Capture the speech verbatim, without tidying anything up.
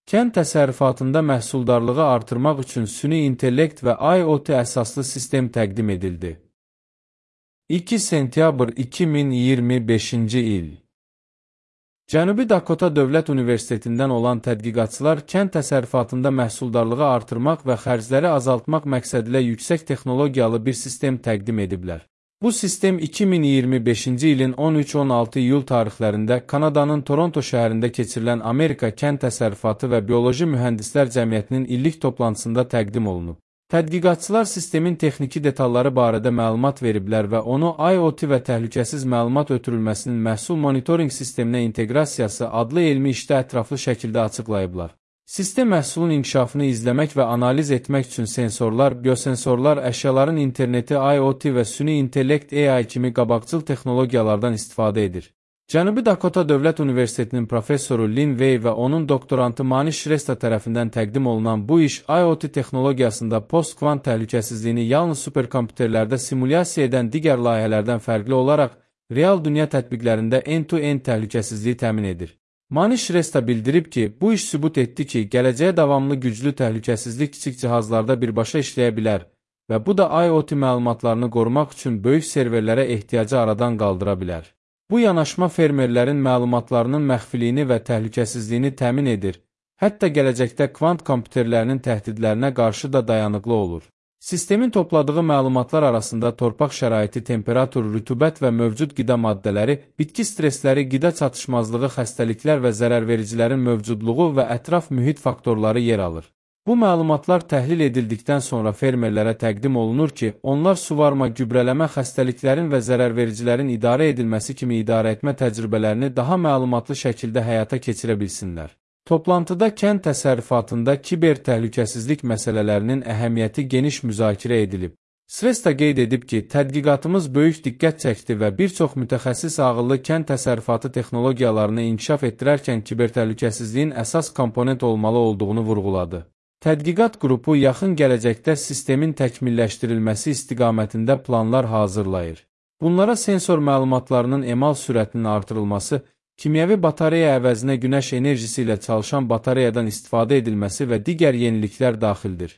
Kənd təsərrüfatında məhsuldarlığı artırmaq üçün süni intellekt və IoT əsaslı sistem təqdim edildi. iki sentyabr iki min iyirmi beşinci il. Cənubi Dakota Dövlət Universitetindən olan tədqiqatçılar kənd təsərrüfatında məhsuldarlığı artırmaq və xərcləri azaltmaq məqsədilə yüksək texnologiyalı bir sistem təqdim ediblər. Bu sistem iki min iyirmi beşinci ilin on üç on altı iyul tarixlərində Kanadanın Toronto şəhərində keçirilən Amerika Kənd Təsərrüfatı və Bioloji Mühəndislər Cəmiyyətinin illik toplantısında təqdim olunub. Tədqiqatçılar sistemin texniki detalları barədə məlumat veriblər və onu IoT və təhlükəsiz məlumat ötürülməsinin məhsul monitorinq sisteminə inteqrasiyası adlı elmi işdə ətraflı şəkildə açıqlayıblar. Sistem məhsulun inkişafını izləmək və analiz etmək üçün sensorlar, biosensorlar, əşyaların interneti, IoT və süni intellekt A I kimi qabaqcıl texnologiyalardan istifadə edir. Cənubi Dakota Dövlət Universitetinin professoru Lin Wei və onun doktorantı Manish Shrestha tərəfindən təqdim olunan bu iş IoT texnologiyasında post-kvant təhlükəsizliyini yalnız superkompüterlərdə simulyasiya edən digər layihələrdən fərqli olaraq real dünya tətbiqlərində end-to-end təhlükəsizliyi təmin edir. Manish Shrestha bildirib ki, bu iş sübut etdi ki, gələcəyə davamlı güclü təhlükəsizlik kiçik cihazlarda birbaşa işləyə bilər və bu da IoT məlumatlarını qorumaq üçün böyük serverlərə ehtiyacı aradan qaldıra bilər. Bu yanaşma fermerlərin məlumatlarının məxfiliyini və təhlükəsizliyini təmin edir, hətta gələcəkdə kvant kompüterlərinin təhdidlərinə qarşı da dayanıqlı olur. Sistemin topladığı məlumatlar arasında torpaq şəraiti, temperatur, rütubət və mövcud qida maddələri, bitki stresləri, qida çatışmazlığı, xəstəliklər və zərərvericilərin mövcudluğu və ətraf mühit faktorları yer alır. Bu məlumatlar təhlil edildikdən sonra fermerlərə təqdim olunur ki, onlar suvarma, gübrələmə, xəstəliklərin və zərərvericilərin idarə edilməsi kimi idarəetmə təcrübələrini daha məlumatlı şəkildə həyata keçirə bilsinlər. Toplantıda kənd təsərrüfatında kiber təhlükəsizlik məsələlərinin əhəmiyyəti geniş müzakirə edilib. Shrestha qeyd edib ki, tədqiqatımız böyük diqqət çəkdi və bir çox mütəxəssis ağıllı kənd təsərrüfatı texnologiyalarını inkişaf etdirərkən kiber təhlükəsizliyin əsas komponent olmalı olduğunu vurğuladı. Tədqiqat qrupu yaxın gələcəkdə sistemin təkmilləşdirilməsi istiqamətində planlar hazırlayır. Bunlara sensor məlumatlarının emal sürətinin artırılması, kimyəvi batareya əvəzinə günəş enerjisi ilə çalışan batareyadan istifadə edilməsi və digər yeniliklər daxildir.